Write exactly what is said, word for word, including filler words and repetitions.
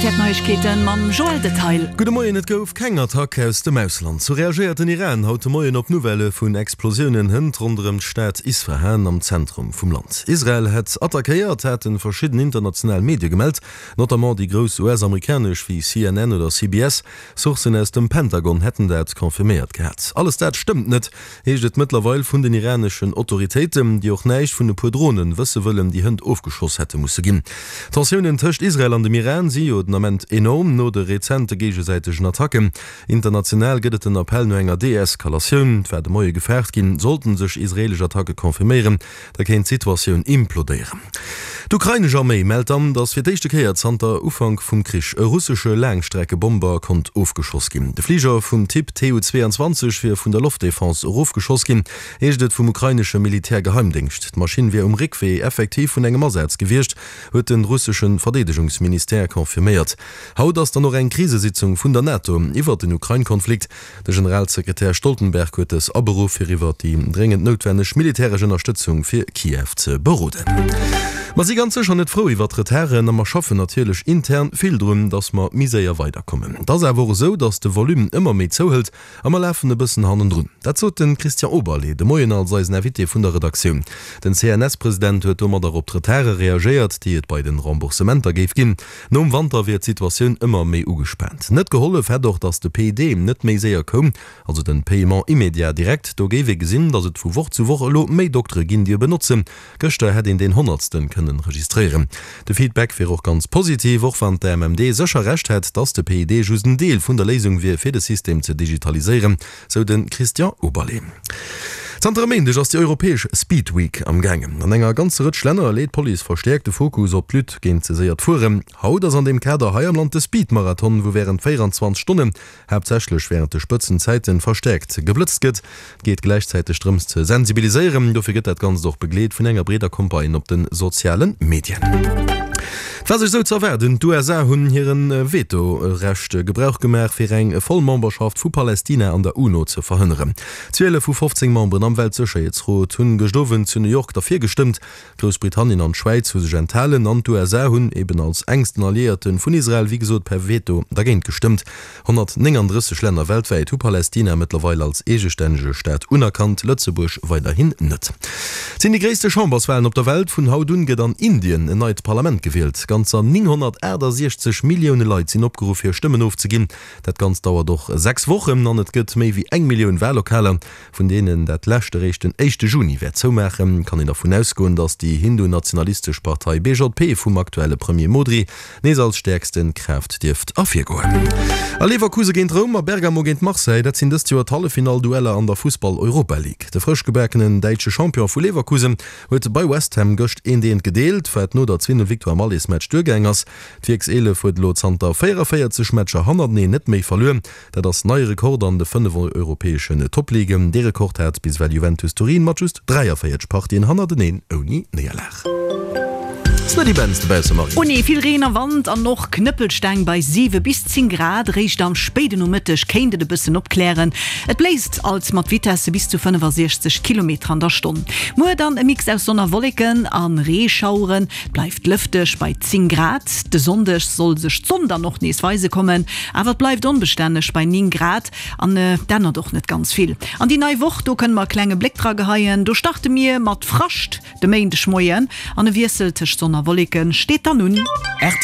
R T L Neiegkeeten mam Joël Detail. Gudde Moien, Et gouf keng Attack aus dem Ausland. Sou reagéiert den Iran haut de Moien op Nouvellë vun Explosiounen hënt ronderëm d'Stad Isfahan am Zentrum vum Land. Israel hätt attackéiert, hate verschidden international Medie gemellt, notamment déi grouss U S-amerikanesch wéi C N N oder C B S. Sourcen aus dem Pentagon hätten dat confirméiert gehat. Alles dat stëmmt net, heescht et mëttlerweil vun den iraneschen Autoritéiten, déi och näischt vun e puer Dronen wësse wëllen, déi hënt ofgeschoss hätte musse ginn. D'Tensiounen tëscht Israel an dem Iran si jo den Ament enorm no de rezente géigesäitegen Attacken. International gëtt et den Appell no enger Deeskalatioun. Et war de Moie gefaart ginn, sollten sech israelesch Attacke confirméieren, da kéint d'Situatioun implodéieren. D'ukrainesch Arméi mellt dann, datt fir d'éischte Kéier zanter Ufank vum Krich e russesche Laangstreckebomber konnt ofgeschoss ginn. De Fliger vum Typ Tu zwouanzwanzeg wier vun der Loftdefense erofgeschoss ginn, heescht et vum ukrainesche Militärgeheimdéngscht. D'Maschinn wier um Réckwee effektiv vun engem Asaz gewiescht, huet de russesche Verdeedegungsministère confirméiert. Haut ass dann och eng Krisesitzung vun der NATO iwwert den Ukrain-Konflikt. De Generalsekretär Stoltenberg huet dës aberuff, fir iwwert déi dréngend noutwenneg militäresch Ënnerstëtzung fir Kiew ze beroden. Mer si ganz sécher net frou iwwert d'Retarden a mer schaffen natierlech intern vill drun, datt mer méi séier weiderkommen. Et ass awer och esou, datt de Volume ëmmer méi zouhëlt a mer lafen e bëssen hannendrun. Dat sot de Christian Oberlé de Moien als eisen Invité vun der Redaktioun. Den C N S-President huet domadder op d'Retarde reagéiert, déi et bei den Remboursementer géif ginn. Nom Wanter wier d'Situatioun ëmmer méi ugespaant. Net gehollef hätt och, datt de P I D net méi séier koum, also den Paiement immédiat direct. Do géif ee gesinn, datt et vu Woch zu Woch elo méi Doktere ginn, déi e benotzen. Gëschter hätt een deen Honnertsten kënnen registréieren. De Feedback wier och ganz positiv, och wann d'A M M D sécher Recht hätt, datt de P I D just en Deel vun der Léisung wier, fir de System ze digitaliséieren, sou de Christian Oberlé. Zanter e Méindeg ass déi europäesch Speed Week am gaangen. An enger ganzer Rëtsch Länner leet d'Police verstäerkt de Fokus op d'Lutte géint ze séiert Fueren. Haut ass an deem Kader hei am Land de Speed-Marathon, wou wärend véieranzwanzeg Stonnen, haaptsächlech wärend de Spëtzenzäiten, verstäerkt geblëtzt gëtt. Et geet gläichzäiteg drëms ze sensibiliséieren. Dofir gëtt dat Ganzt och begleet vun enger breeder Campagne op de soziale Medien. Et war sech esou ze erwaarden, D'U S A hunn hire Veto-Recht Gebrauch gemaach, fir eng voll Memberschaft vu Palästina an der UNO ze verhënneren. Zwielef vu fofzéng Memberen am Weltsécherheetsrot hunn gëscht Owend zu New York derfir gestëmmt. Groussbritannien an d'Schwäiz hu sech enthalen an d'U S A hunn eben als enksten Alliéierte vun Israel wéi gesot per Veto dergéint gestëmmt. honnertnénganddrësseg Länner weltwäit hu Palästina mëttlerweil als eegestännege Staat unerkannt, Lëtzebuerg weiderhin net. Et sinn déi gréisste Chamberswalen op der Welt. Vun haut un gëtt an Indien en neit Parlament gewielt. Ganzer nénghonnertaachtasechzeg Millioune Leit sinn opgeruff hir Stëmmen ofzeginn. Dat Ganzt dauert och sechs Wochen an et gëtt méi wéi eng Millioun Wallokaler, vun deenen dat lescht eréischt den éischte Juni wäert zoumaachen. Kann een dervun ausgoen, datt déi hindu-nationalistesch Partei B J P vum aktuelle Premier Modri nees als stäerkste Kraaft dierft ervirgoen. A Leverkusen géint Roum a Bergamo géint Marseille, dat sinn dëst Joer d'Halleffinall-Dueller an der Fussball-Europa League. De frësch gebakenen däitsche Champion vu Leverkusen huet bei West Ham gëscht eent eent gedeelt, wat no der zwee null Victoire am Allesmatch duergaang ass. D'Wierkseelef huet elo zanter véieranvéierzeg Matcher hannerteneen net méi verluer. Dat ass neie Rekord an de fënnef europäeschen Topligen. Dee Rekord hat bis ewell Juventus Turin mat just dräiavéierzeg Partien hannerteneen ouni Néierlag. Ass net immens dobausse, Marie. Oh nee, vill Reen a Wand an och Knëppelsteng bei siwe bis zéng Grad. Réischt am spéiden Nomëtteg kéint et e bëssen opklären. Et bléist alt mat Vitesse bis zu fënnefasiechzeg Kilometer an der Stonn. Muer dann e Mix aus Sonn a Wolleken a Reeschaueren. Et bleift lëfteg bei zéng Grad. De Sonndeg soll sech d'Sonn dann och nees weise kommen, awer et bleift onbestänneg bei néng Grad an et ännert och net ganz vill. An déi nei Woch, do kënne mer e klenge Bléck dra geheien, do starte mir mat Frascht de Méindegmoien an e Wiessel tëscht Sonn a Wolleken steet dann un. R T L.